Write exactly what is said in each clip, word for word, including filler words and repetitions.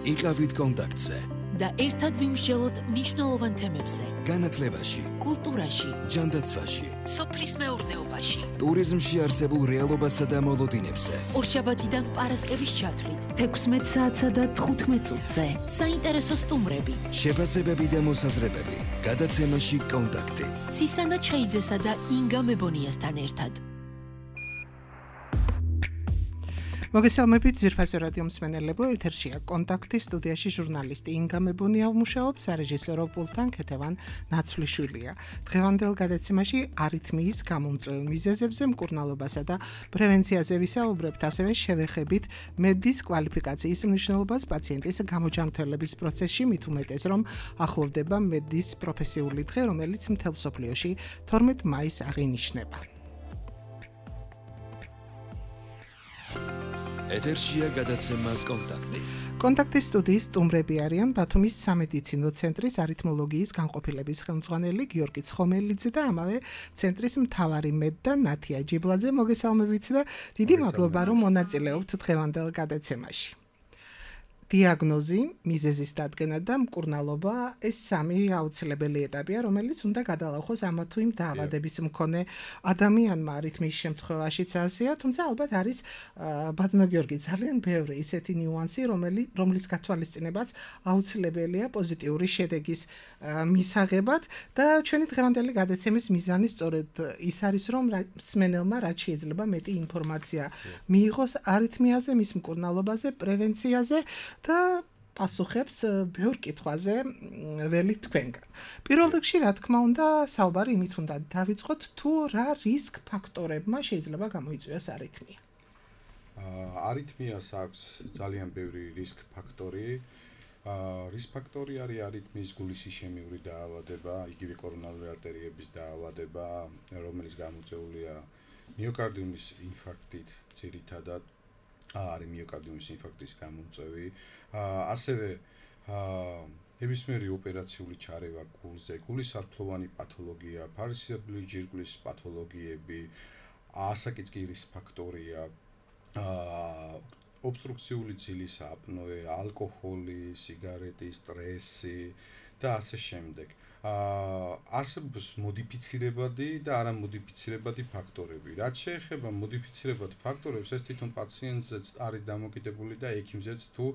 იყავით კონტაქტზე და ერთად ვიმსჯელოთ მნიშვნელოვან თემებზე. განათლებაში, კულტურაში, ჯანდაცვაში, სოფლის მეურნეობაში, ტურიზმში არსებულ რეალობასა და მოლოდინებზე. ორშაბათიდან პარასკევის ჩათვლით, თექვსმეტ საათსა და თხუთმეტ წუთზე. საინტერესო სტუმრები, შეფასებები და მოსაზრებები. გადაცემაში კონტაქტი. ცისანა ჩხეიძესა და ინგა მებონიასთან ერთად. მოგესალმებით ძვირფასო რადიო მსმენელებო, ეთერშია კონტაქტი, სტუდიაში ჟურნალისტი ინგა მებონია მუშაობს, სარეჟისორო პულტთან ქეთევან ნაცვლიშვილია. დღევანდელ გადაცემაში არითმიის გამომწვევ მიზეზებზე, მკურნალობასა და პრევენციაზე ვისაუბრებთ, ასევე შევეხებით მედდის კვალიფიკაციის მნიშვნელობას პაციენტის გამოჯანმრთელების პროცესში, მით უმეტეს რომ ახლოვდება მედდის პროფესიული დღე, რომელიც მთელ მსოფლიოში თორმეტ მაისს აღინიშნება. ეთერშია გადაცემა კონტაქტი. კონტაქტის სტუდიის სტუმრები არიან ბათუმის სამედიცინო ცენტრის არითმოლოგიის განყოფილების ხელმძღვანელი გიორგი ცხომელიძე და ამავე ცენტრის მთავარი მედ და ნათია ჯიბლაძე. მოგესალმებით და დიდი მადლობა რომ მონაწილეობთ დღევანდელ გადაცემაში. დიაგნოზი, მიზეზის დადგენა და მკურნალობა ეს სამი აუცილებელი ეტაპია, რომელიც უნდა გადალახოს ამა თუ იმ დაავადების მქონე ადამიანმა არითმიის შემთხვევაშიც ასეა, თუმცა ალბათ არის ბატონო გიორგი ძალიან ბევრი ისეთი ნიუანსი, რომელი რომლის გათვალისწინებაც აუცილებელია პოზიტიური შედეგის მისაღებად და ჩვენი დღევანდელი გადაცემის მიზანი სწორედ ის არის, რომ მსმენელმა რაც შეიძლება მეტი ინფორმაცია მიიღოს არითმიაზე, მის მკურნალობაზე, პრევენციაზე და პასუხებს ბევრ კითხვაზე ველი თქვენგან. პირველ რიგში, რა თქმა უნდა, საუბარი იმით უნდა დავიწყოთ, თუ რა რისკ ფაქტორებმა შეიძლება გამოიწვიოს არითმია. არითმიას აქვს ძალიან ბევრი რისკ ფაქტორი. რისკ ფაქტორი არის არითმიის გულისისხმიური დაავადება, იგივე კორონარული არტერიების დაავადება, რომელიც გამოწვეულია მიოკარდიუმის ინფარქტით ძირითადად. არის მიოკარდიუმის ინფარქტის გამომწვევი, ასევე ნებისმიერი ოპერაციული ჩარევა გულზე, გულის სარფლოვანი პათოლოგია, ფარისებრი ჯირკვლის პათოლოგიები, ასაკიწკირის ფაქტორია, ობსტრუქციული ძილის აპნოე, ალკოჰოლი, სიგარეტი, სტრესი და ასე შემდეგ. არსებობს მოდიფიცირებადი და არამოდიფიცირებადი ფაქტორები. რაც შეეხება მოდიფიცირებად ფაქტორებს, ეს თვითონ პაციენტზეც არის დამოკიდებული და ექიმზეც თუ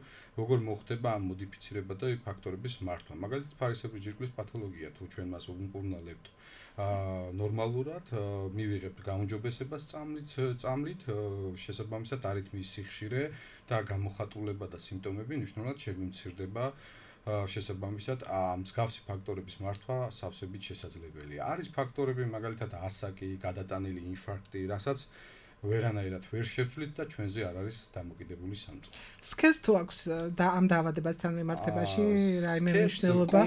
როგორ მოხდება ამ მოდიფიცირებადი ფაქტორების მართვა. მაგალითად, ფარისებრი ჯირკვლის პათოლოგია, თუ ჩვენ მას ვუმკურნალებთ ნორმალურად, მივიღებთ გაუმჯობესებას წამლით, წამლით, შესაბამისად არითმიის სიხშირე და გამოხატულება და სიმპტომები მნიშვნელოვნად შეგვიმცირდება. შესაბამისად მსგავსი ფაქტორების მართვა სავსებით შესაძლებელია. არის ფაქტორები, მაგალითად ასაკი, გადატანილი ინფარქტი, რასაც ვერანაირად ვერ შევცვლით და ჩვენზე არ არის დამოკიდებული სამწუხარო. სქესს თუ აქვს და ამ დაავადებასთან მიმართებაში რაიმე მნიშვნელობა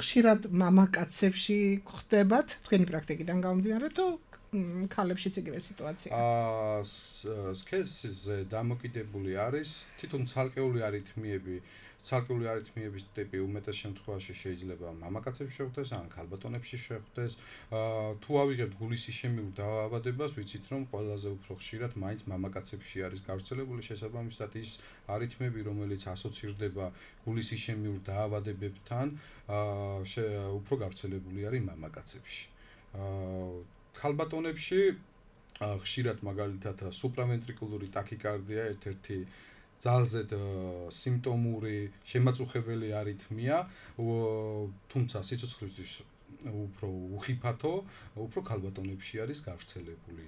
ხშირად მამაკაცებში ხდებათ თქვენი პრაქტიკიდან გამომდინარე თუ ქალებშიც იგივე სიტუაცია? სქესზე დამოკიდებული არის თვითონ ცალკეული არითმიები. ცალკეული არითმიების ტიპი უმეტეს შემთხვევაში შეიძლება მამაკაცებში შეხვდეს, ან ქალბატონებში შეხვდეს. თუ ავიღებთ გულისისხმიურ დაავადებას, ვიცით რომ ყველაზე უფრო ხშირად მაინც მამაკაცებში არის გავრცელებული, შესაბამისად ის არითმიები, რომელიც ასოცირდება გულისისხმიურ დაავადებებთან, უფრო გავრცელებული არის მამაკაცებში. ქალბატონებში ხშირად მაგალითად სუპრავენტრიკულური ტაქიკარდია ერთ-ერთი ძალზედ სიმპტომური შემაწუხებელი არითმია, თუმცა სიცოცხლისთვის უფრო უხიფათო, უფრო ქალბატონებში არის გავრცელებული,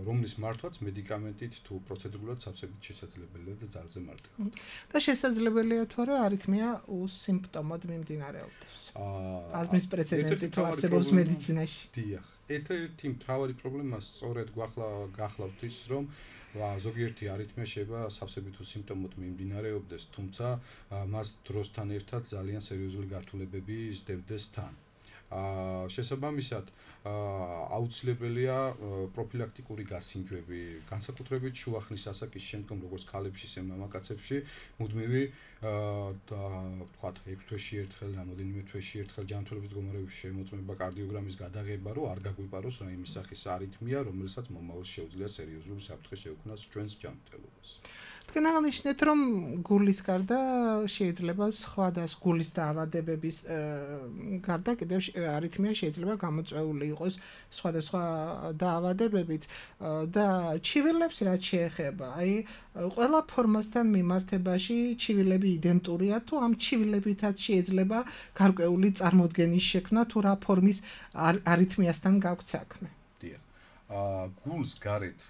რომლის მართვაც მედიკამენტით თუ პროცედურულად სავსებით შესაძლებელია და ძალზე მარტივად. და შესაძლებელია თუ არა არითმია უსიმპტომოდ მიმდინარეობდეს. აზმის პრეცედენტი თუ არსებობს მედიცინაში. დიახ, ერთ-ერთი მთავარი პრობლემა სწორედ გახლავთ ის, რომ ზოგიერთი არითმია შეიძლება სავსებით უსიმპტომოდ მიმდინარეობდეს, თუმცა მას დროსთან ერთად ძალიან სერიოზული გართულებები სდევდეს თან. შესაბამისად, აუცილებელია პროფილაქტიკური გასინჯვები, განსაკუთრებით შუახნის ასაკის შემდგომ, როგორც ქალებში, ისე მამაკაცებში, მუდმივი ვთქვათ, ექვს თვეში ერთხელ, რამოდენიმე თვეში ერთხელ ჯანმრთელობის მდგომარეობის შემოწმება, კარდიოგრამის გადაღება, რომ არ გაგვიპაროს რაიმე სახის არითმია, რომელსაც მომავალში შეუძლია სერიოზული საფრთხე შეუქმნას ჩვენს ჯანმრთელობას. თქვენ აღნიშნეთ, რომ გულის გარდა შეიძლება სხვა და გულის დაავადებების გარდა კიდევ არითმია შეიძლება გამოწვეული იყოს სხვადასხვა დაავადებებით და ჩივილებს რაც შეეხება, აი ყველა ფორმასთან მიმართებაში ჩივილები იდენტურია თუ ამ ჩივილებითაც შეიძლება გარკვეული წარმოდგენის შექმნა თუ რა ფორმის არითმიასთან გაქვთ საქმე. დიახ. აა გულს გარეთ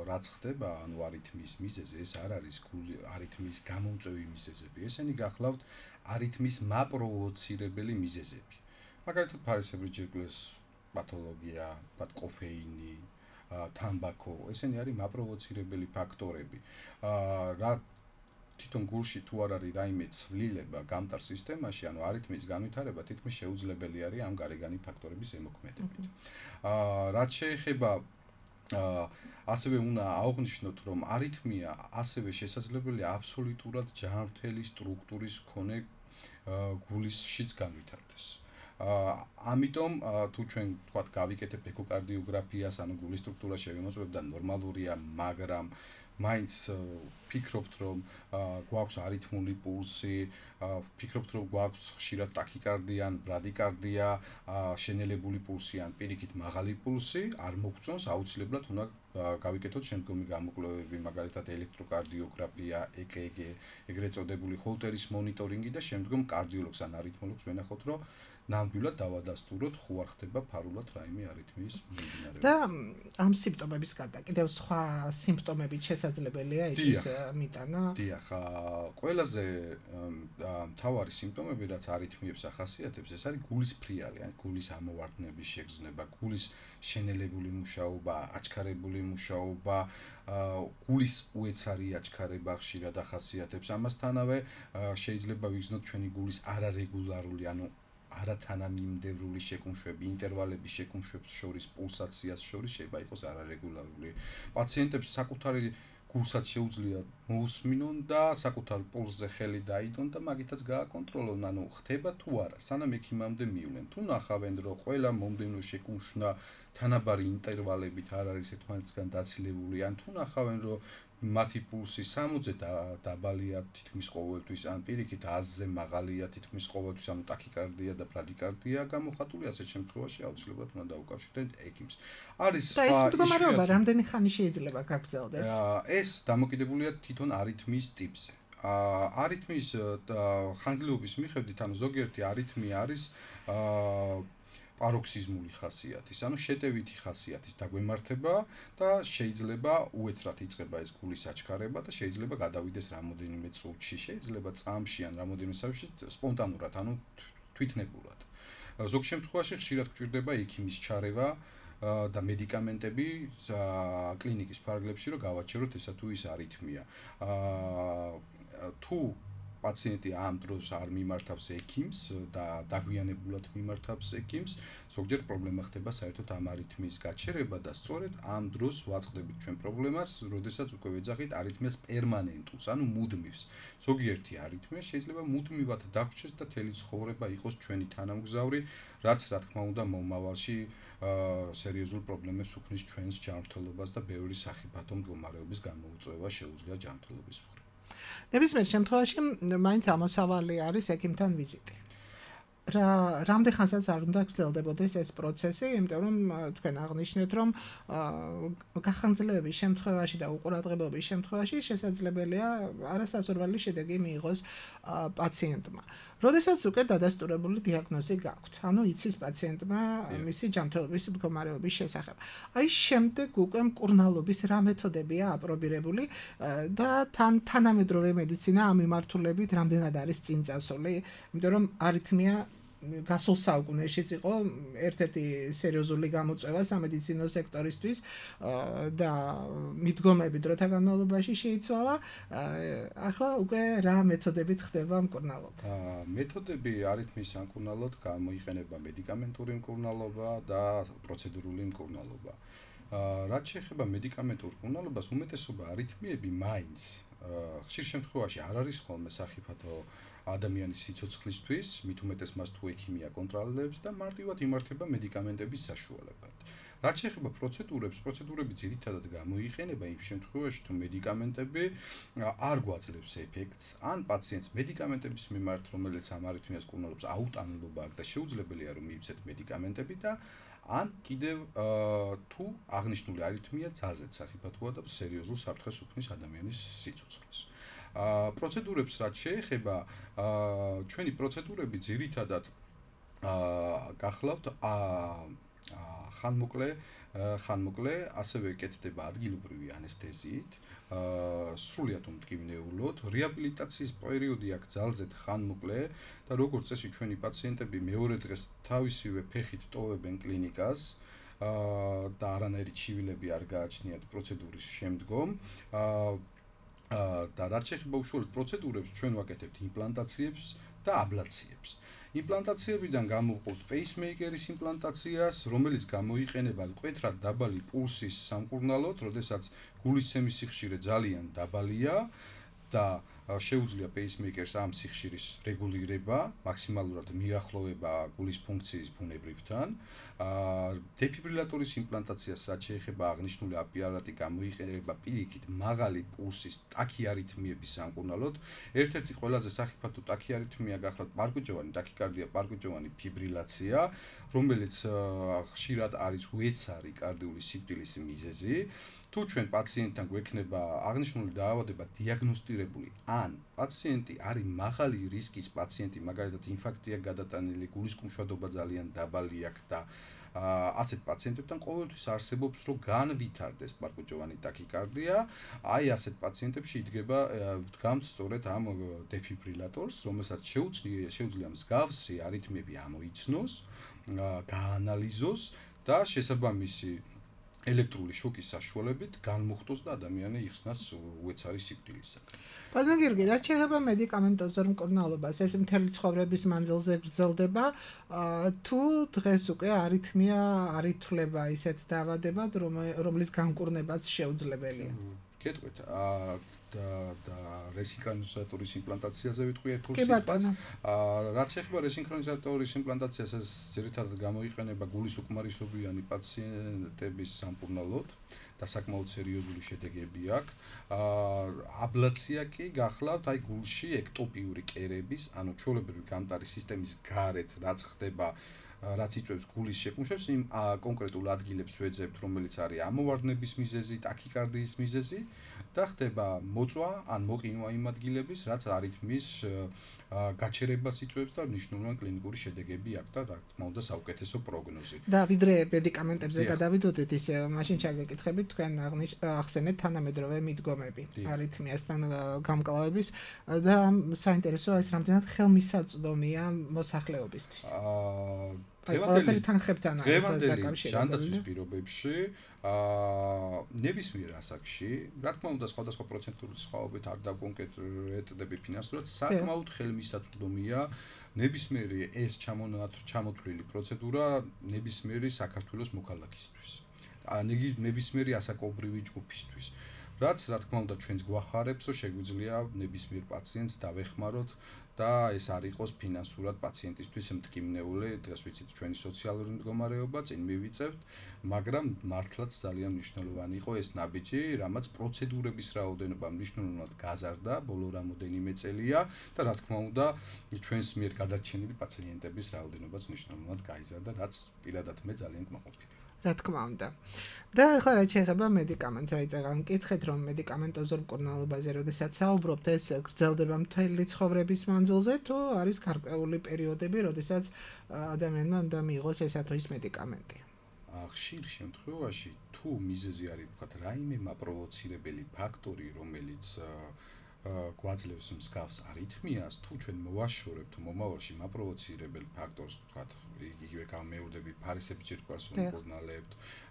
რაც ხდება, ანუ არითმიის მიზეზი, ეს არ არის არითმიის გამომწვევი მიზეზები. ესენი გახლავთ არითმიის მაპროვოცირებელი მიზეზები. მაგალითად, ფარისებრი ჯირკვლის პათოლოგია, მათ კოფეინი, თამბაქო, ესენი არის მაპროვოცირებელი ფაქტორები. აა რა თვითონ გულში თუ არ არის რაიმე ცვლილება გამტარ სისტემაში, ანუ არითმიის განვითარება თითქმის შეუძლებელი არის ამ გარეგანი ფაქტორების ზემოქმედებით. აა რაც შეეხება აა ასევე უნდა აღვნიშნოთ, რომ არითმია ასევე შესაძლებელია აბსოლუტურად ჯანმრთელი სტრუქტურის მქონე გულისშიც განვითარდეს. აა ამიტომ თუ ჩვენ თქვათ გავიკეთებ ეკოკარდიოგრაფიას, ანუ გულის სტრუქტურა შევიმოწმებ და ნორმალურია, მაგრამ მაინც ფიქრობთ, რომ გვაქვს არითმული პულსი, ფიქრობთ, რომ გვაქვს ხშირად ტაქიკარდია ან ბრადიკარდია, შენელებული პულსი ან პირიქით მაღალი პულსი, არ მოგწონს, აუცილებლად უნდა გავიკეთოთ შემდგომი გამოკვლევები, მაგალითად ელექტროკარდიოგრაფია, ე კე გე, ეგრეთ წოდებული ჰოლტერის მონიტორინგი და შემდგომ კარდიოლოგს ან არითმოლოგს ვენახოთ, რომ ნამდვილად დავადასტუროთ, ხო არ ხდება ფარულად რაიმე არითმიის მიმდინარეობა. და ამ სიმპტომების გარდა კიდევ სხვა სიმპტომებით შესაძლებელია იცის მიტანა? დიახ, ყველაზე მთავარი სიმპტომები, რაც არითმიებს ახასიათებს, ეს არის გულის ფრიალი, ან გულის ამოვარდნების შეგრძნება, გულის შენელებული მუშაობა, აჩქარებული მუშაობა, გულის უეცარი აჩქარება ხშირად ახასიათებს. ამასთანავე შეიძლება ვიგრძნოთ ჩვენი გულის არარეგულარული, ანუ არათანამიმდევრული შეკუმშვები, ინტერვალების შეკუმშვებს შორის, პულსაციას შორის შეიძლება იყოს არარეგულარული. პაციენტებს საკუთარი გულსაც შეუძლია მოусმინონ და საკუთარ პულსზე ხელი დაიდონ და მაგითაც გააკონტროლონ, ანუ ხდება თუ არა, სანამ ექიმამდე მივლენ. თუ ნახავენ, რომ ყველა მომდევნო შეკუმშვა თანაბარი ინტერვალებით არ არის ერთმანეთისგან დაცილებული, ან თუ ნახავენ, რომ მათი პულსი სამოცზე დაბალია თითქმის ყოველთვის, ან პირიქით ათზე მაღალია თითქმის ყოველთვის, ანუ ტაქიკარდია და ბრადიკარდია გამოხატული, ასეთ შემთხვევაში აუცილებლად უნდა დაუკავშირდეთ ექიმს. არის და ეს მდგომარეობა რამდენი ხანი შეიძლება გაგრძელდეს? ეს დამოკიდებულია თვითონ არითმიის ტიპზე. არითმიის ხანგრძლივობის მიხედვით, ანუ ზოგიერთი არითმია არის პაროქსიზმული ხასიათის, ანუ შეტევითი ხასიათის დაგვემართება და შეიძლება უეცრად იწყება ეს გულის აჩქარება და შეიძლება გადავიდეს რამოდენიმე წუთში, შეიძლება წამში ან რამოდენიმე საათში სპონტანურად, ანუ თვითნებურად. ზოგ შემთხვევაში ხშირად გვჭირდება ექიმის ჩარევა და მედიკამენტები კლინიკის ფარგლებში, რომ გავაჩეროთ ესა თუ ის არითმია. თუ პაციენტი ამ დროს არ მიმართავს ექიმს და დაგვიანებულად მიმართავს ექიმს, ზოგჯერ პრობლემა ხდება საერთოდ ამ არითმიის გაჩერება და სწორედ ამ დროს ვაწყდებით ჩვენ პრობლემას, როდესაც უკვე ვეძახით არითმიას პერმანენტულს, ანუ მუდმივს. ზოგიერთი არითმია შეიძლება მუდმივად დაგვრჩეს და თელი ცხოვრება იყოს ჩვენი თანამგზავრი, რაც რა თქმა უნდა მომავალში სერიოზულ პრობლემებს უქმნის ჩვენს ჯანმრთელობას და ბევრი სახიფათო მდგომარეობის გამოუწვევა შეუძლია ჯანმრთელობის მხრივ. ნებისმიერ შემთხვევაში მაინც ამოსავალი არის ექიმთან ვიზიტი. რა რამდენ ხანსაც არ უნდა გრძელდებოდეს ეს პროცესი, იმიტომ რომ თქვენ აღნიშნეთ, რომ გახანგრძლივების შემთხვევაში და უყურადღებობის შემთხვევაში შესაძლებელია არასასურველი შედეგი მიიღოს პაციენტმა. როდესაც უკვე დადასტურებული დიაგნოზი გაქვთ, ანუ იცის პაციენტმა მისი ჯანმრთელობის მდგომარეობის შესახებ. აი შემდეგ უკვე მკურნალობის რა მეთოდებია აპრობირებული და თან თანამედროვე მედიცინა ამ მიმართულებით რამდენად არის წინ წასული, იმიტომ რომ არითმია გასულ საუკუნეშიც იყო ერთ-ერთი სერიოზული გამოწვევა სამედიცინო სექტორისთვის და მიდგომები დროთა განმავლობაში შეიცვალა. ახლა უკვე რა მეთოდებით ხდება მკურნალობა? მეთოდები არითმიის სამკურნალოდ გამოიყენება მედიკამენტური მკურნალობა და პროცედურული მკურნალობა. რაც შეეხება მედიკამენტურ მკურნალობას, უმეტესობა არითმიები მაინც ხშირ შემთხვევაში არ არის ხოლმე სახიფათო ადამიანის სიცოცხლისთვის, მით უმეტეს მას თუ ექიმი აკონტროლებს და მარტივად იმართება მედიკამენტების საშუალებად. რაც შეეხება პროცედურებს, პროცედურები ძირითადად გამოიყენება იმ შემთხვევაში, თუ მედიკამენტები არ გვაძლევს ეფექტს, ან პაციენტს მედიკამენტების მიმართ, რომელიც ამ არითმიას კურნალობს, აუტანილობა აქვს და შეუძლებელია რომ მიიცეთ მედიკამენტები და ან კიდევ თუ აღნიშნული არითმია ძალზედ სახიფათოა და სერიოზულ საფრთხეს უქმნის ადამიანის სიცოცხლეს. პროცედურებს რაც შეეხება, ჩვენი პროცედურები ძირითადად გახლავთ ხანმოკლე ხანმოკლე, ასევე კეთდება ადგილობრივი ანესთეზიით, სრულიად უმტკივნეულოდ, რეაბილიტაციის პერიოდი აქვს ძალზედ ხანმოკლე და როგორც წესი ჩვენი პაციენტები მეორე დღეს თავისივე ფეხით ტოვებენ კლინიკას და არანაირი ჩივილები არ გააჩნიათ პროცედურის შემდგომ. და რაც შეეხება უშუალოდ პროცედურებს, ჩვენ ვაკეთებთ იმპლანტაციებს და აბლაციებს. იმპლანტაციებიდან გამოვყავთ პეისმეიკერის იმპლანტაციას, რომელიც გამოიყენება მკვეთრად დაბალი პულსის სამკურნალოდ, როდესაც გულისცემის სიხშირე ძალიან დაბალია და შეუძლია პეისმეიკერს ამ სიხშირის რეგულირება, მაქსიმალურად მიახლოვება გულის ფუნქციის ბუნებრივთან. დეფიბრილატორის იმპლანტაციას რაც შეეხება აღნიშნული აპარატი გამოიყენება პირიქით მაღალი პულსის ტაქიარითმიების სამკურნალოდ. ერთ-ერთი ყველაზე სახიფათო ტაქიარითმია გახლავთ პარკუჯოვანი ტაქიკარდია, პარკუჯოვანი ფიბრილაცია, რომელიც ხშირად არის უეცარი კარდიული სიკვდილის მიზეზი. თუ ჩვენ პაციენტთან გვექნება აღნიშნული დაავადება დიაგნოსტირებული, ან პაციენტი არის მაღალი რისკის პაციენტი, მაგალითად ინფარქტია გადატანილი, გულისკუმშვადობა ძალიან დაბალი აქვს და ასეთ პაციენტებთან ყოველთვის არსებობს რომ განვითარდეს პარკუჯოვანი ტაქიკარდია, აი ასეთ პაციენტებში იდგება ვდგამთ სწორედ ამ დეფიბრილატორს, რომელსაც შეუძლია შეუძლია მსგავსი არითმიები ამოიცნოს, გაანალიზოს და შესაბამისი ელექტრული შოკის საშუალებით განმუხტოს და ადამიანი იხსნას უეცარი სიკვდილისაგან. ბატონო გიორგი, რაც შეეხება მედიკამენტოზურ მკურნალობას, ეს მთელი ცხოვრების მანძილზე გრძელდება, თუ დღეს უკვე არითმია არ ითვლება ისეთ დაავადებად, რომლის განკურნებაც შეუძლებელია? გეტყვით, და რესინქრონიზატორის იმპლანტაციაზე ვიტყვი ერთ სიტყვას. რაც შეეხება რესინქრონიზატორის იმპლანტაციას, ეს ძირითადად გამოიყენება გულის უკმარისობიანი პაციენტების სამკურნალოდ და საკმაოდ სერიოზული შედეგები აქვს. აბლაცია კი გახლავთ აი გულში ექტოპიური კერების, ანუ ჩვეულებრივი გამტარი სისტემის გარეთ, რაც ხდება რაც იწვევს გულის შეკუმშვებს, იმ კონკრეტულ ადგილებს ვეძებთ, რომელიც არის ამოვარდნების მიზეზი, ტაქიკარდიის მიზეზი და ხდება მოწვა ან მოყინვა იმ ადგილების, რაც არითმის გაჩერებას იწვევს და მნიშვნელოვანი კლინიკური შედეგები აქვს და რა თქმა უნდა საუკეთესო პროგნოზი. და ვიდრე მედიკამენტებზე გადავიდოდეთ, ისე მაშინ ჩაგეკითხებით თქვენ ახსენეთ თანამედროვე მიდგომები არითმიასთან გამკლავების და საინტერესოა ეს რამდენად ხელმისაწვდომია მოსახლეობისთვის. დღევანდელი თანხებთან დღევანდელი ჯანდაცვის პირობებში ნებისმიერ ასაკში, რა თქმა უნდა სხვადასხვა პროცენტული სხვაობით არ დავკონკრეტდები ფინანსურად, საკმაოდ ხელმისაწვდომია ნებისმიერი ეს ჩამოთვლილი პროცედურა ნებისმიერი საქართველოს მოქალაქისთვის. ნებისმიერი ასაკობრივი ჯგუფისთვის. რაც რა თქმა უნდა ჩვენს გვახარებს, რომ შეგვიძლია ნებისმიერ პაციენტს დავეხმაროთ და ეს არ იყოს ფინანსურად პაციენტისთვის მტკივნეული, დღეს ვიცით ჩვენი სოციალური მდგომარეობა, წინ მივიწევთ, მაგრამ მართლაც ძალიან მნიშვნელოვანი იყო ეს ნაბიჯი, რამაც პროცედურების რაოდენობა მნიშვნელოვნად გაზარდა ბოლო რამოდენიმე წელია და რა თქმა უნდა ჩვენს მიერ გადარჩენილი პაციენტების რაოდენობაც მნიშვნელოვნად გაიზარდა, რაც პირადად მე ძალიან კმაყოფილი. რა თქმა უნდა. და ახლა რაც შეეხება მედიკამენტს, აი წეგან მკითხეთ რომ მედიკამენტოზურ მკურნალობაზე, როდესაც საუბრობთ, ეს გრძელდება მთელი ცხოვრების მანძილზე, თუ არის გარკვეული პერიოდები, როდესაც ადამიანმა უნდა მიიღოს ეს თუ ის მედიკამენტი? ხშირ შემთხვევაში თუ მიზეზი არის ვთქვათ რაიმე მაპროვოცირებელი ფაქტორი, რომელიც გვაძლევს მსგავს არითმიას, თუ ჩვენ მოვაშორებთ მომავალში მაპროვოცირებელ ფაქტორს, ვთქვათ, იგივე გამეორდები ფარისების ჯირკვალს უმკურნალებთ,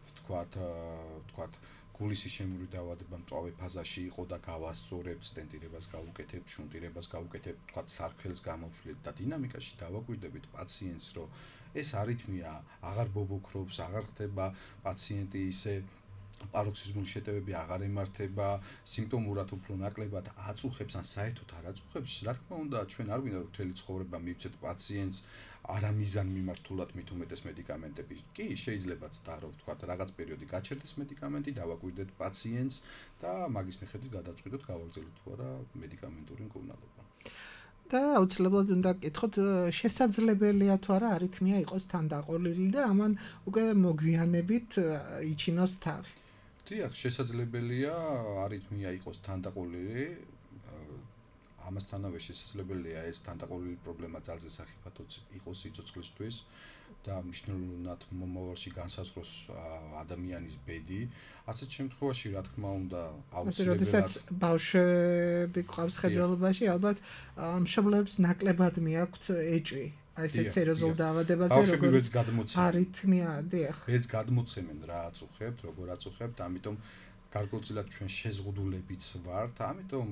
ვთქვათ, ვთქვათ, გულისის შემური დაავადება მწვავე ფაზაში იყო და გავასწორებთ, სტენტირებას გავუკეთებთ, შუნტირებას გავუკეთებთ, ვთქვათ, სარქველს გამოვცვლით და დინამიკაში დავაკვირდებით პაციენტს, რომ ეს არითმია აღარ ბობოქრობს, აღარ ხდება პაციენტი ისე პაროქსიზმული შეტევები აღარ ემართება, სიმპტომურად უფრო ნაკლებად აწუხებს ან საერთოდ არ აწუხებს, რა თქმა უნდა, ჩვენ არ გვინდა რომ მთელი ცხოვრება მივცეთ პაციენტს არამიზან მიმართულად მით უმეტეს მედიკამენტები. კი, შეიძლებაც და რომ თქვა რაღაც პერიოდი გაჩერდეს მედიკამენტი, დავაკვირდეთ პაციენტს და მაგის მიხედვით გადავწყვიტოთ გავაგრძელოთ თუ არა მედიკამენტური მკურნალობა. და აუცილებლად უნდა გკითხოთ, შესაძლებელია თუ არა არითმია იყოს თანდაყოლილი და ამან უკვე მოგვიანებით იჩინოს თავი. დიახ, შესაძლებელია არითმია იყოს თანდაყოლილი. ამასთანავე შესაძლებელია ეს თანდაყოლილი პრობლემა ძალზე სახიფათოც იყოს სიცოცხლისთვის და მნიშვნელოვნად მომავალში განსაზღვროს ადამიანის ბედი. ასეთ შემთხვევაში, რა თქმა უნდა, აუცილებლად როდესაც ბავშვები ყავს ხედველობაში, ალბათ მშობლებს ნაკლებად მიაქვთ ეჭვი. აი ესეთ სერიოზულ დაავადებაზე ბავშვები გადმოცემენ. არითმია, დიახ. ეს გადმოცემენ რა აწუხებთ, როგორ აწუხებთ, ამიტომ გარკვეულწილად ჩვენ შეზღუდულებიც ვართ, ამიტომ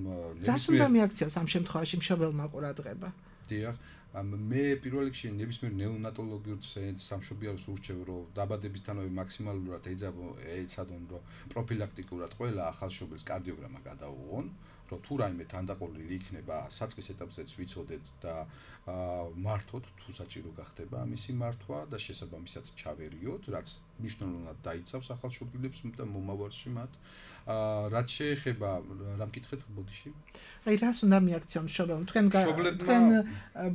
რას უნდა მიაქციოს ამ შემთხვევაში მშობელმა ყურადღება? დიახ, მე პირველ რიგში ნებისმიერ ნეონატოლოგიურ ცენტრს სამშობიაროს ურჩევ, რომ დაბადებისთანავე მაქსიმალურად ეცადონ, რომ პროფილაქტიკურად ყველა ახალშობილს კარდიოგრამა გადაუღონ, რომ თუ რაიმე თანდაყოლილი იქნება, საწყის ეტაპზეც ვიცოდეთ და მართოთ, თუ საჭირო გახდება ამისი მართვა და შესაბამისად ჩავერიოთ, რაც მნიშვნელოვნად დაიცავს ახალშობილებს და მომავალში მათ. რაც შეეხება რა მკითხეთ ბოდიში? აი რას უნდა მიაქციონ მშობელმა? თქვენ თქვენ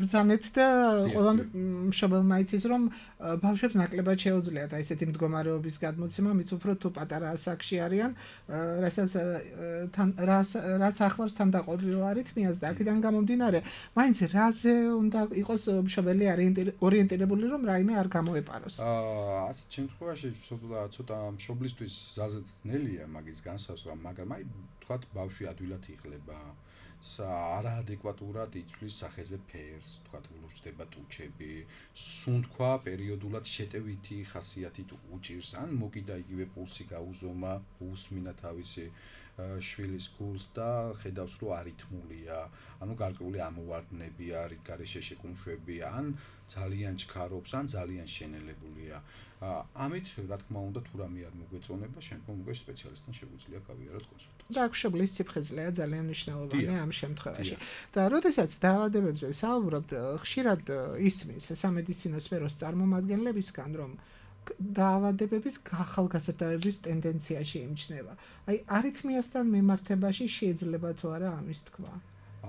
ბრძანეთ და ყველა მშობელმა იცის, რომ ბავშვებს ნაკლებად შეუძლიათ აი ესეთი მდგომარეობის გადმოცემა, მით უფრო თუ პატარა ასაკში არიან, რასაც რაც ახლავს თანდაყოლილ არითმიას და აქედან გამომდინარე, მაინც რაზე უნდა იყოს მშობელი ორიენტირებული, რომ რაიმე არ გამოეპაროს. აა ასეთ შემთხვევაში ცოტა მშობლისთვის ძალზედ ძნელია მაგის განსაზღვრა, მაგრამ აი თქვათ ბავშვი ადვილად იღლება, არაადეკვატურად იცვლის სახეზე ფერს, თქვათ ულურჯდება ტუჩები, სუნთქვა პერიოდულად შეტევითი ხასიათით უჭირს, ან მოკიდა იგივე პულსი გაუზომა, უსმინა თავისი შვილის გულს და ხედავს რომ არითმულია, ანუ გარკვეული ამოვარდნები არის, გარეშე შეკუმშვები, ან ძალიან ჩქარობს, ან ძალიან შენელებულია. ამით, რა თქმა უნდა, თუ რამე არ მოგვეწონება, შემდგომ უკვე სპეციალისტთან შეგვიძლია გავიაროთ კონსულტაცია. და მშობლის სიფხიზლეა ძალიან მნიშვნელოვანი ამ შემთხვევაში. და როდესაც დაავადებებზე ვსაუბრობთ, ხშირად ისმის სამედიცინო სფეროს წარმომადგენლებისგან, რომ დაავადებების ახალგაზრდების ტენდენციაში იმჩნევა. აი არითმიასთან მიმართებაში შეიძლება თუ არა ამის თქვა?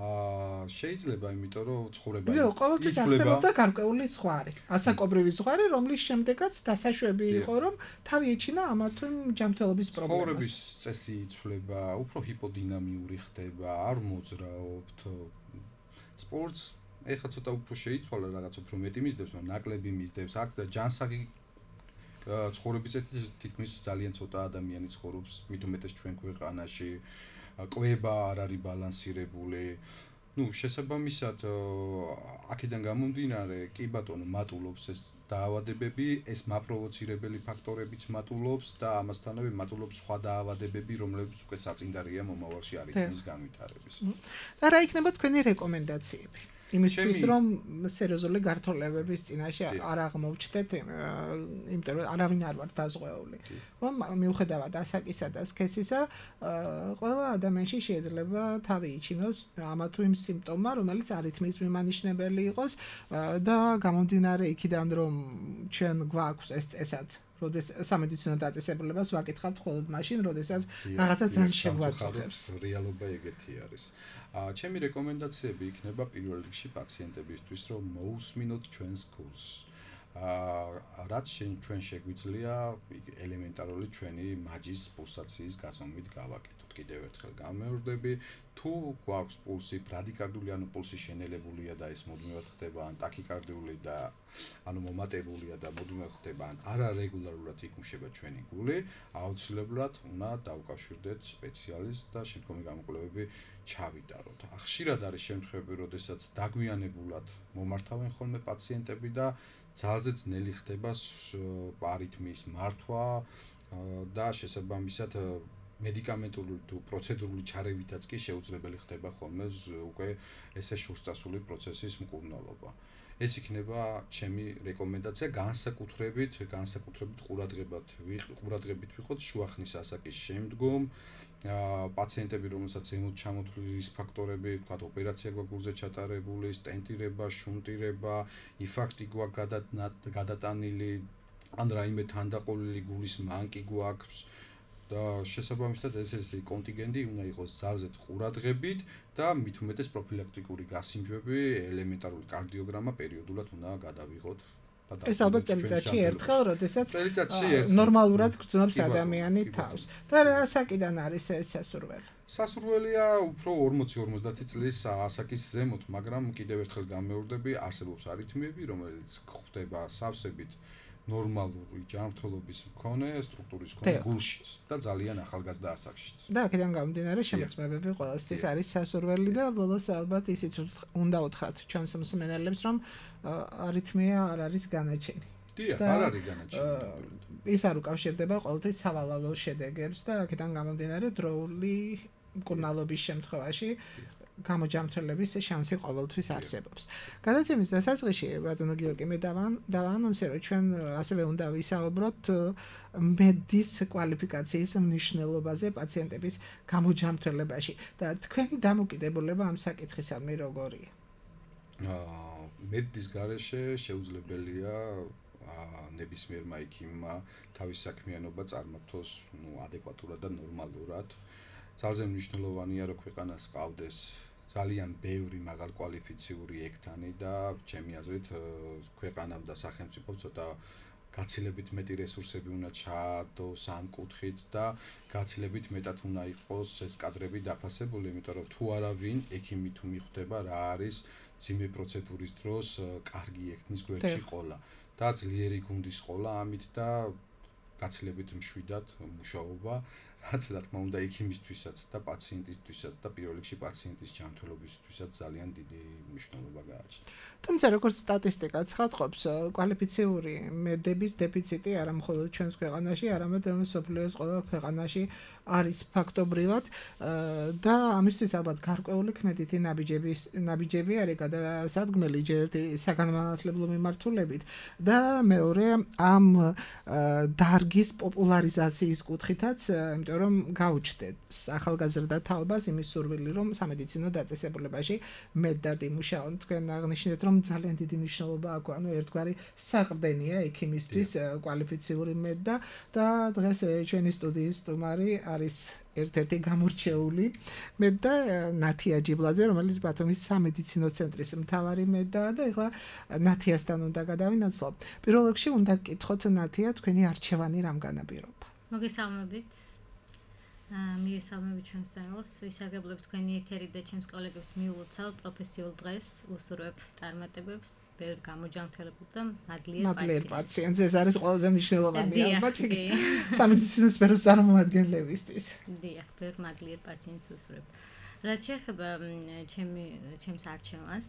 აა შეიძლება, იმიტომ რომ ცხოვრება იცვლება. ყოველთვის არსებობდა გარკვეული ზღვარი, ასაკობრივი ზღვარი, რომლის შემდეგაც დასაშვები იყო, რომ თავი ეჩინა ამა თუ იმ ჯანმრთელობის პრობლემას. ცხოვრების წესი იცვლება, უფრო ჰიპოდინამიური ხდება, არ მოძრაობთ. სპორტს ეხლა ცოტა უფრო შეიცვალა, რაღაც უფრო მეტი მისდევს, მაგრამ ნაკლები მისდევს. აქ ჯანსაღი ცხოვრების წესი თითქმის ძალიან ცოტა ადამიანი ცხოვრობს, მით უმეტეს ჩვენ ქვეყანაში. კვება არ არის ბალანსირებული. ნუ შესაბამისად აქედან გამომდინარე, კი ბატონო, მატულობს ეს დაავადებები, ეს მაპროვოცირებელი ფაქტორებიც მატულობს და ამასთანავე მატულობს სხვა დაავადებები, რომლებიც უკვე საწინდარია მომავალში არითმიის განვითარების. და რა იქნება თქვენი რეკომენდაციები? იმისთვის რომ სერიოზული გართოლებების წინაშე არ აღმოვჩნდეთ, იმიტომ რომ არავინ არ ვარ დაზღვეული. რომ მიუხედავად ასაკისა და სქესისა, ყველა ადამიანში შეიძლება თავი იჩინოს ამა თუ იმ სიმპტომმა, რომელიც არითმიის მიმანიშნებელი იყოს და გამომდინარე იქიდან, რომ ჩვენ გვაქვს ეს წესად, როდეს სამედიცინო დაწესებულებას ვაკითხავთ მხოლოდ მაშინ, როდესაც რაღაცა ძალიან შეგვაწუხებს. რეალობა ეგეთი არის. ჩემი რეკომენდაციები იქნება პირველ რიგში პაციენტებისთვის, რომ მოусმინოთ ჩვენს გულს. აა რაც ჩვენ შეგვიძლია ელემენტარული ჩვენი მაჯის პულსაციის გაზომვით გავაკეთოთ. კიდევ ერთხელ გამეორდები, თუ გვაქვს პულსი ბრადიკარდიული, ანუ პულსი შენელებულია და ეს მუდმივად ხდება, ან ტაქიკარდიული და ანუ მომატებულია და მუდმივად ხდება, ან არარეგულარულად იკუმშება ჩვენი გული, აუცილებლად უნდა დავუკავშირდეთ სპეციალისტს და შემდგომი გამოკვლევები ჩავიტაროთ. ხშირად არის შემთხვევები, როდესაც დაგვიანებულად მომართავენ ხოლმე პაციენტები და ძალზე ძნელი ხდება არითმიის მართვა და შესაბამისად მედიკამენტური თუ პროცედურული ჩარევითაც კი შეუძლებელი ხდება ხოლმე უკვე ესე შურსწასული პროცესის მკურნალობა. ეს იქნება ჩემი რეკომენდაცია განსაკუთრებით, განსაკუთრებით ყურადღებად ყურადღებით ვიყოთ შუახნის ასაკის შემდგომ პაციენტები, რომელსაც ემოთ ჩამოთვლილი რისკ ფაქტორები, ვთქვათ, ოპერაცია გვაგულზე ჩატარებული, სტენტირება, შუნტირება, ინფარქტი გვაქვს გადატანილი, ან რაიმე თანდაყოლილი გულის მანკი გვაქვს და შესაბამისად ესეთი კონტინგენტი უნდა იყოს ძალზედ ყურადღებით და მით უმეტეს პროფილაქტიკური გასინჯვები, ელემენტარული კარდიოგრამა პერიოდულად უნდა გადავიღოთ. ეს ალბათ წელიწადში ერთხელ, როდესაც წელიწადში ერთხელ ნორმალურად გრძნობს ადამიანი თავს. და რა საკიდან არის ეს სასურველი? სასურველია უფრო ორმოცი ორმოცდაათი წლის ასაკის ზემოთ, მაგრამ კიდევ ერთხელ გამეორდები, არსებობს არითმიები, რომელიც ხდება სავსებით ნორმალური ჯანმრთელობის მქონე სტრუქტურის მქონე გულშიც და ძალიან ახალგაზრდა ასაკშიც. და აქედან გამომდინარე შემოწმებები ყველასთვის არის სასურველი და ბოლოს ალბათ ისიც უნდა უთხრათ ჩვენს მსმენელებს, რომ არითმია არ არის განაჩენი. დიახ, არ არის განაჩენი. ის არ უკავშირდება ყოველთვის სავალალო შედეგებს და აქედან გამომდინარე დროული მკურნალობის შემთხვევაში გამოჯამრთელების შანსი ყოველთვის არსებობს. გადაცემის დასაწყისში ბატონო გიორგი მე დავაანონსე, რომ ჩვენ ასევე უნდა ვისაუბროთ მედის კვალიფიკაციის მნიშვნელობაზე პაციენტების გამოჯამრთელებაში და თქვენი დამოკიდებულება ამ საკითხისადმი როგორია? მედის გარეშე შეუძლებელია ნებისმიერმა ექიმმა თავის საქმიანობა წარმართოს ადეკვატურად და ნორმალურად. ძალზე მნიშვნელოვანია, რომ ქვეყანას ყავდეს ძალიან ბევრი მაღალკვალიფიციური ექთანი და ჩემი აზრით ქვეყანამ და სახელმწიფომ ცოტა გაცილებით მეტი რესურსები უნდა ჩაადოს ამ კუთხით და გაცილებით მეტად უნდა იყოს ეს კადრები დაფასებული, იმიტომ რომ თუ არავინ ექიმი თუ მიხვდება რა არის მძიმე პროცედურის დროს კარგი ექთნის გვერდში ყოლა და ძლიერი გუნდის ყოლა ამით და გაცილებით მშვიდად მუშაობა რაც რა თქმა უნდა ექიმისთვისაც და პაციენტისთვისაც და პირველ რიგში პაციენტის ჯანმრთელობისთვისაც ძალიან დიდი მნიშვნელობა გააჩნია. თუმცა როგორც სტატისტიკაც ხატყობს, კვალიფიციური მედების დეფიციტი არა მხოლოდ ჩვენს ქვეყანაში, არამედ მსოფლიოს ყველა ქვეყანაში არის ფაქტობრივად და ამისთვის ალბათ გარკვეული ქმედითი ნაბიჯების ნაბიჯები არის გადასადგმელი ჯერ ერთი საგანმანათლებლო მიმართულებით და მეორე ამ დარგის პოპულარიზაციის კუთხითაც, იმიტომ რომ გაუჩნდეთ ახალგაზრდა თაობას იმის სურვილი, რომ სამედიცინო დაწესებულებაში მეტად იმუშაონ. თქვენ აღნიშნეთ, რომ ძალიან დიდი მნიშვნელობა აქვს, ანუ ერთგვარი საყრდენია ექიმისთვის კვალიფიციური მედდა და დღეს ჩვენი სტუდიის სტუმარი არის ერთ-ერთი გამორჩეული მედდა ნათია ჯიბლაძე, რომელიც ბათუმის სამედიცინო ცენტრის მთავარი მედაა და ეხლა ნათიასთან უნდა გადავინაცვლო. პირველ რიგში უნდა გკითხოთ ნათია, თქვენი არჩევანი რამ განაპირობა? მოგესალმებით. მივესალმებით ჩვენს წენელს, ვისარგებლებ თქვენი ეთერი და ჩემს კოლეგებს მიულოცავ პროფესიულ დღეს, უსურვებ წარმატებებს, ბევრ გამოჯანმრთელებულ და მადლიერ პაციენტს. ეს არის ყველაზე მნიშვნელოვანი ალბათ სამედიცინო სფეროს წარმომადგენლებისთვის. დიახ, ბევრ მადლიერ პაციენტს უსურვებ. რაც შეეხება ჩემი ჩემს არჩევანს,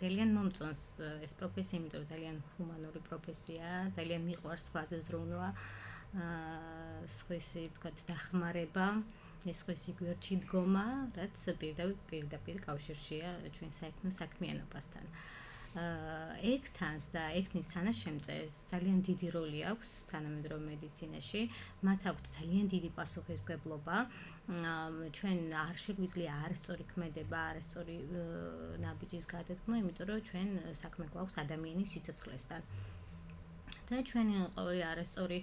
ძალიან მომწონს ეს პროფესია, იმიტომ რომ ძალიან ჰუმანური პროფესიაა, ძალიან მიყვარს სხვაზე ზრუნვა. სხვისი ვთქვათ დახმარება, ეს სხვისი გვერდში დგომა, რაც პირდაპირ კავშირშია ჩვენ საექნო საქმიანობასთან. ექთანს და ექთნის თანაშემწეს ძალიან დიდი როლი აქვს თანამედროვე მედიცინაში, მათ აქვთ ძალიან დიდი პასუხისმგებლობა. ჩვენ არ შეგვიძლია არასწორი ქმედება, არასწორი ნაბიჯის გადადგმა, იმიტომ რომ ჩვენ საქმე გვაქვს ადამიანის სიცოცხლესთან. და ჩვენ ყოველი არასწორი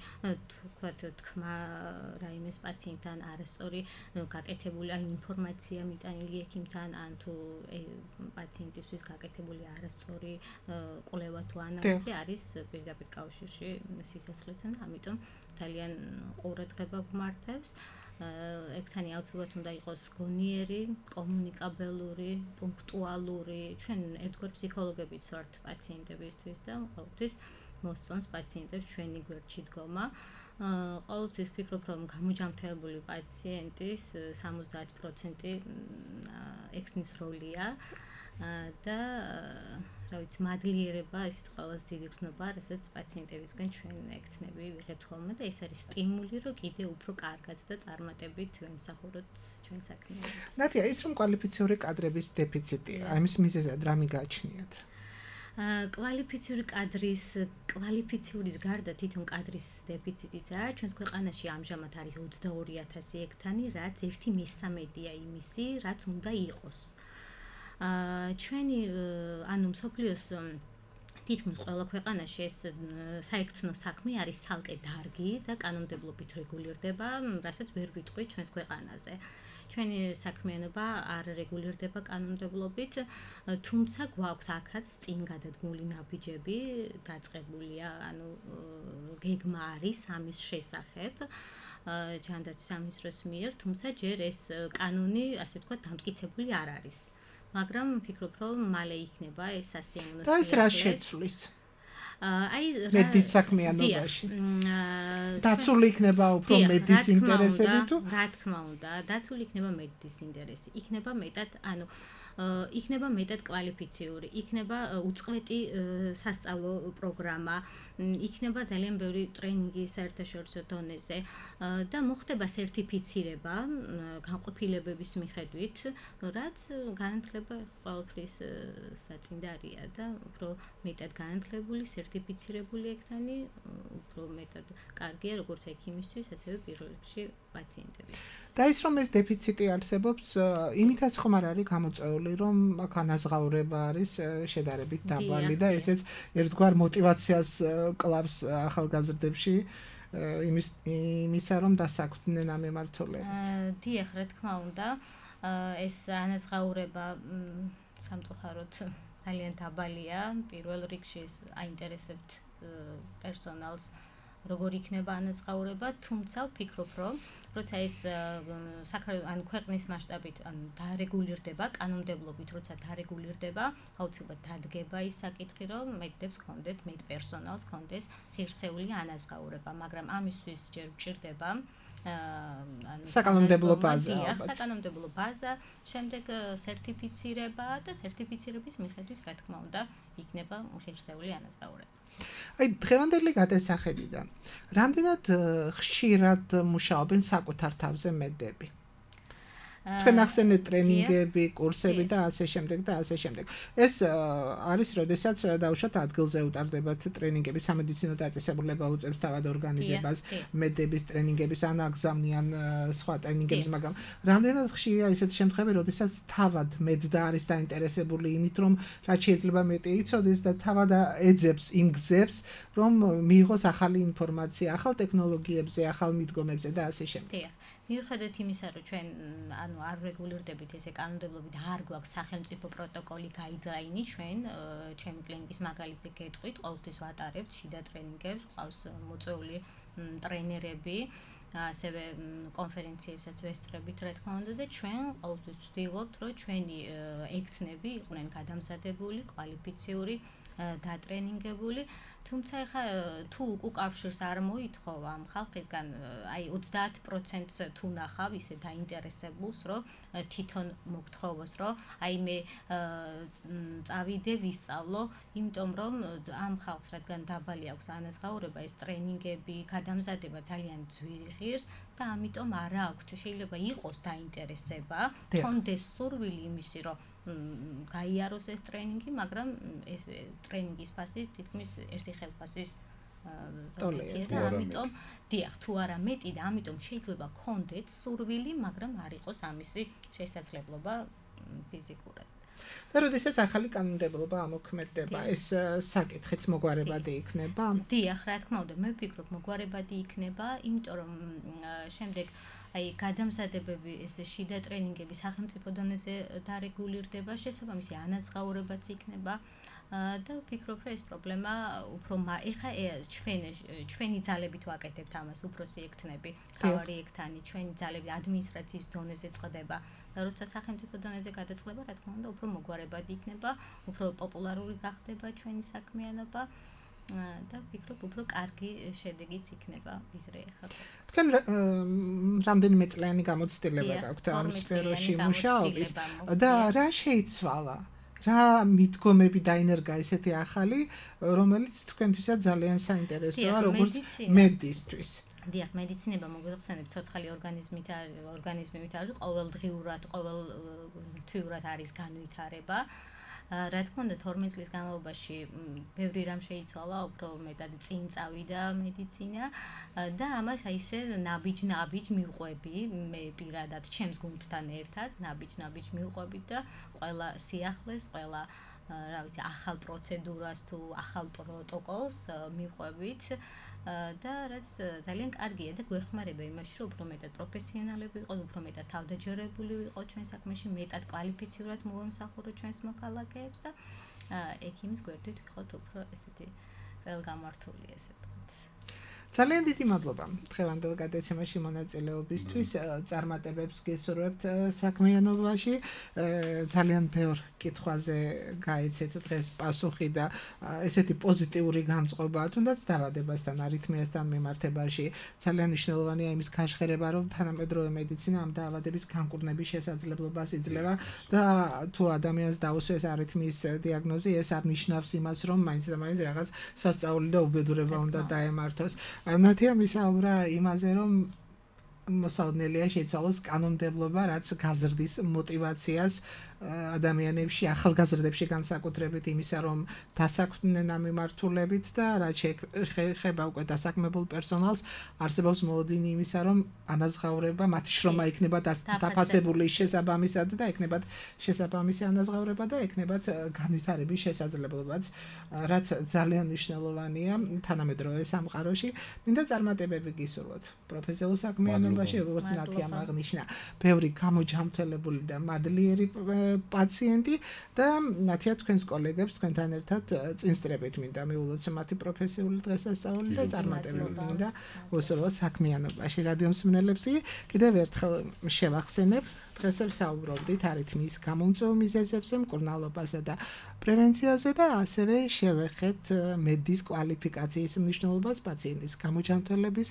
თქვათ თქმა რაიმეს პაციენტთან არასწორი გაკეთებული ინფორმაცია მიტანილი ექიმთან ან თუ პაციენტისთვის გაკეთებული არასწორი კვლევა თუ ანალიზი არის პირდაპირ კავშირში სიცოცხლესთან, ამიტომ ძალიან ყურადღება გვმართებს. ექთანი აუცილებლად უნდა იყოს გონიერი, კომუნიკაბელური, პუნქტუალური. ჩვენ ერთგვარ ფსიქოლოგებიც ვართ პაციენტებისთვის და ყოველთვის მოსწონს პაციენტებს ჩვენი გვერდში დგომა. ყოველთვის ვფიქრობ, რომ გამოჯანმრთელებული პაციენტის სამოცდაათი პროცენტი ექთნის როლია. და რა ვიცი, მადლიერება, ისეთ ყველაზე დიდი გზნობა, რასაც პაციენტებისგან ჩვენ ექთნები ვიღებთ ხოლმე და ეს არის სტიმული, რომ კიდე უფრო კარგად და წარმატებით ვემსახუროთ ჩვენ საქმიანობას. ნატია, ის რომ კვალიფიციური კადრების დეფიციტია, ამის მიზეზად რა მიგაჩნიათ? კვალიფიციური კადრის, კვალიფიციის გარდა თვითონ კადრის დეფიციტიც არის. ჩვენს ქვეყანაში ამჟამად არის ოცდაორი ათასი ექთანი, რაც ერთი მესამედია იმისი, რაც უნდა იყოს. ჩვენი ანუ მსოფლიოს თითქმის ყველა ქვეყანაში ეს საექთნო საქმე არის ცალკე დარგი და კანონმდებლობით რეგულირდება, რასაც ვერ ვიტყვით ჩვენს ქვეყანაზე. ჩვენი საქმიანობა არ რეგულირდება კანონმდებლობით, თუმცა გვაქვს აქაც წინ გადადგმული ნაბიჯები, დაწყებულია, ანუ გეგმა არის ამის შესახებ. ჯანდაცვის სამინისტროს მიერ, თუმცა ჯერ ეს კანონი, ასე ვთქვათ, დამტკიცებული არ არის. მაგრამ ვფიქრობ, რომ მალე იქნება ეს სასიამოვნო. და ეს რა შეცვლის? აი მედის საქმიანობაში. დაცული იქნება უფრო მედის ინტერესები თუ? რა თქმა უნდა, დაცული იქნება მედის ინტერესი. იქნება მეტად, ანუ იქნება მეტად კვალიფიციური, იქნება უწყვეტი სასწავლო პროგრამა, იქნება ძალიან ბევრი ტრენინგი საერთაშორისო დონეზე და მოხდება სერტიფიცირება განყოფილებების მიხედვით, რაც განათლება ყველაფრის საწინდარია და უფრო მეტად განათლებული, სერტიფიცირებული ექთანი უფრო მეტად კარგია როგორც ექიმისთვის, ასევე პირველ რიგში პაციენტებისთვის. და ის რომ ეს დეფიციტი არსებობს, იმითაც ხომ არ არის გამოწვეული, რომ აქ ანაზღაურება არის შედარებით დაბალი და ესეც ერთგვარ мотиваციას კლავს ახალგაზრდებში იმის იმისა რომ დასაქმდნენ ამ ემართულებით. დიახ, რა თქმა უნდა, ეს ანაზღაურება სამწუხაროდ ძალიან დაბალია. პირველ რიგში აინტერესებთ პერსონალს როგორ იქნება ანაზღაურება, თუმცა ვფიქრობ, რომ როცა ეს ანუ ქვეყნის მასშტაბით ანუ დარეგულირდება, კანონმდებლობით როცა დარეგულირდება, აუცილებლად დადგება ის საკითხი, რომ მეტდებს კონდეთ, მეტ პერსონალს კონდეს ღირსეული ანაზღაურება, მაგრამ ამისთვის ჯერ გვჭირდება ანუ საკანონმდებლო ბაზა, საკანონმდებლო ბაზა, შემდეგ სერტიფიცირება და სერტიფიცირების მიხედვით, რა თქმა უნდა, იქნება ღირსეული ანაზღაურება. აი დღევანდელი გადასახედიდან რამდენად ხშირად მუშაობენ საკუთარ თავზე მედები? თქვენ ახსენეთ ტრენინგები, კურსები და ასე შემდეგ და ასე შემდეგ. ეს არის, როდესაც დაუშვათ ადგილზე უტარდებათ ტრენინგები, სამედიცინო დაწესებულება უწევს თავად ორგანიზებას, მედების ტრენინგების ან აგზავნიან სხვა ტრენინგებს, მაგრამ რამდენად ხშირია ისეთი შემთხვევები, როდესაც თავად მედდა არის დაინტერესებული იმით, რომ რაც შეიძლება მეტი იცოდეს და თავად ეძებს იმ გზებს, რომ მიიღოს ახალი ინფორმაცია, ახალ ტექნოლოგიებზე, ახალ მიდგომებზე და ასე შემდეგ. მიუხედავად იმისა, რომ ჩვენ ანუ არ რეგულირდებით ესე კანონმდებლობით, არ გვაქვს სახელმწიფო პროტოკოლი, გაიდლაინი, ჩვენ ჩემი კლინიკის მაგალითზე გეტყვით, ყოველთვის ვატარებთ შიდა ტრენინგებს, ყავს მოწვეული ტრენერები, ასევე კონფერენციებსაც ვესწრებით, რა თქმა უნდა, და ჩვენ ყოველთვის ვცდილობთ, რომ ჩვენი ექთნები იყვნენ გადამზადებული, კვალიფიციური, დატრენინგებული, თუმცა ეხა თუ უკავშირს არ მოითხოვ ამ ხალხისგან, აი ოცდაათ პროცენტს თუ ნახავ ისე დაინტერესებულს, რომ თვითონ მოგთხოვოს, რომ აი მე წავიდე ვისწავლო, იმიტომ რომ ამ ხალხს რადგან დაბალი აქვს ანაზღაურება, ეს ტრენინგები, გადამზადება ძალიან ძვირი ღირს და ამიტომ არ აქვთ, შეიძლება იყოს დაინტერესება, თონდეს სურვილი იმისი, რომ გაიაროს ეს ტრენინგი, მაგრამ ეს ტრენინგის ფასი თითქმის ერთი ხელფასის ტოლია და ამიტომ დიახ, თუ არა მეტი და ამიტომ შეიძლება გქონდეთ სურვილი, მაგრამ არ იყოს ამისი შესაძლებლობა ფიზიკურად. და როდესაც ახალი კანონმდებლობა ამოქმედდება, ეს საკითხიც მოგვარებადი იქნება? დიახ, რა თქმა უნდა, მე ვფიქრობ მოგვარებადი იქნება, იმიტომ რომ შემდეგ აი გადამზადებები, ეს შიდა ტრენინგები სახელმწიფო დონეზე დარეგულირდება, შესაბამისი ანაზღაურებაც იქნება და ვფიქრობ, რომ ეს პრობლემა უფრო ეხა ჩვენ ჩვენი ძალებით ვაკეთებთ ამას, უფროსი ექთნები, თავარი ექთანი, ჩვენი ძალები ადმინისტრაციის დონეზე წყდება და როცა სახელმწიფო დონეზე გადაწყდება, რა თქმა უნდა, უფრო მოგვარებადი იქნება, უფრო პოპულარული გახდება ჩვენი საქმიანობა. და ვფიქრობ, უფრო კარგი შედეგიც იქნება ვიდრე ახლა. თქვენ რამდენიმე წლიანი გამოცდილება გაქვთ ამ სფეროში მუშაობის და რა შეიცვალა რა მიდგომები დაინერგა ესეთი ახალი, რომელიც თქვენთვისაც ძალიან საინტერესოა, როგორც მედისთვის. დიახ, მედიცინება მოგეხსენებთ, ცოცხალი ორგანიზმით არის, ორგანიზმით არის ყოველდღიურად, ყოველთვიურად არის განვითარება. რა თქმა უნდა, თორმეტ წლის განმავლობაში ბევრი რამ შეიცვალა, უფრო მეტად წინ წავიდა მედიცინა და ამას აი ესე ნაბიჯ-ნაბიჯ მივყვები, მე პირადად ჩემს გუნდთან ერთად, ნაბიჯ-ნაბიჯ მივყვები და ყველა სიახლეს, ყველა რა ვიცი, ახალ პროცედურას თუ ახალ პროტოკოლს მივყვებით. და რაც ძალიან კარგია და გვეხმარება იმაში, რომ უფრო მეტად პროფესიონალები ვიყოთ, უფრო მეტად თავდაჯერებული ვიყოთ ჩვენ საქმეში, მეტად კვალიფიცირებულად მოვამსახუროთ ჩვენს მოქალაქეებს და ექიმის გვერდით ვიყოთ უფრო ესეთი წელგამართული ესე ვთქვათ. ძალიან დიდი მადლობა დღევანდელ გადაცემაში მონაწილეობისთვის. წარმატებებს გესურვებთ საქმიანობაში. ძალიან ბევრ კითხვაზე გაიცეთ დღეს პასუხი და ესეთი პოზიტიური განწყობა, თუნდაც დაავადებასთან, არითმიასთან მიმართებაში. ძალიან მნიშვნელოვანია იმის გაშხერება, რომ თანამედროვე მედიცინა ამ დაავადების განკურნების შესაძლებლობას იძლევა და თუ ადამიანს დაუსვეს არითმიის დიაგნოზი, ეს არ ნიშნავს იმას, რომ მაინც და მაინც რაღაც სასწაული და უბედურება უნდა დაემართოს. ნათია მისაუბრა იმაზე, რომ მოსაოდნელია შეიცვალოს კანონმდებლობა, რაც გაზრდის მოტივაციას ადამიანებში, ახალგაზრდებში განსაკუთრებით იმისა, რომ დასაქმდნენ ამ მიმართულებით და რაც შეეხება უკვე დასაქმებულ პერსონალს, არსებობს მოლოდინი იმისა, რომ ანაზღაურება, მათი შრომა იქნება დაფასებული შესაბამისად და ექნებათ შესაბამისი ანაზღაურება და ექნებათ განვითარების შესაძლებლობაც, რაც ძალიან მნიშვნელოვანია თანამედროვე სამყაროში. მინდა წარმატებები გისურვოთ პროფესიულ საქმიანობაში, როგორც ნათიამ აღნიშნა, ბევრი გამოჯამთველებული და მადლიერი პაციენტი და ნათია თქვენს კოლეგებს თქვენთან ერთად წინსწრებით მინდა მიულოცო მათი პროფესიული დღესასწაული და წარმატებები მინდა უსურვოთ საქმიანობაში. რადიო მსმენელებს კიდევ ერთხელ შევახსენებ, დღეს ვსაუბრობდით არითმიის გამომწვევ მიზეზებზე, მკურნალობასა და პრევენციაზე და ასევე შევეხეთ მედის კვალიფიკაციის მნიშვნელობას პაციენტის გამოჯამთველების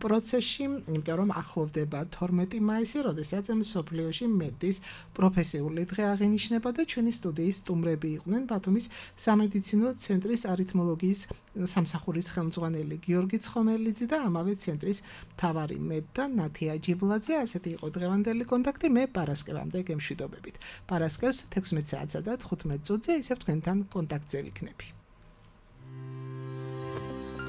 პროცესში, იმიტომ რომ ახლოვდება თორმეტი მაისი, როდესაც მსოფლიოში მედის პროფესიული დღე აღინიშნება და ჩვენი სტუდიის სტუმრები იყვნენ ბათუმის სამედიცინო ცენტრის არითმოლოგიის სამსახურის ხელმძღვანელი გიორგი ცხომელიძე და ამავე ცენტრის მთავარი მედ და ნათია ჯიბლაძე. ასეთი იყო დღევანდელი კონტაქტი. მე პარასკევამდე გემშვიდობებით. პარასკევს თექვსმეტ საათსა და თხუთმეტ წუთზე ისევ თქვენთან კონტაქტზე ვიქნები.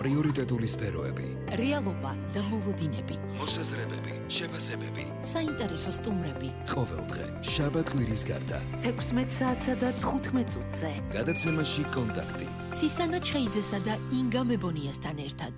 პრიორიტეტული სფეროები, რეალობა და მოლოდინები, მოსაზრებები, შეფასებები, საინტერესო სტუმრები. ყოველდღე შაბათ კვირის გარდა თექვსმეტ საათსა და თხუთმეტ წუთზე. გადაცემაში კონტაქტი. ცისანა ჩხეიძესა და ინგა მებონიასთან ერთად.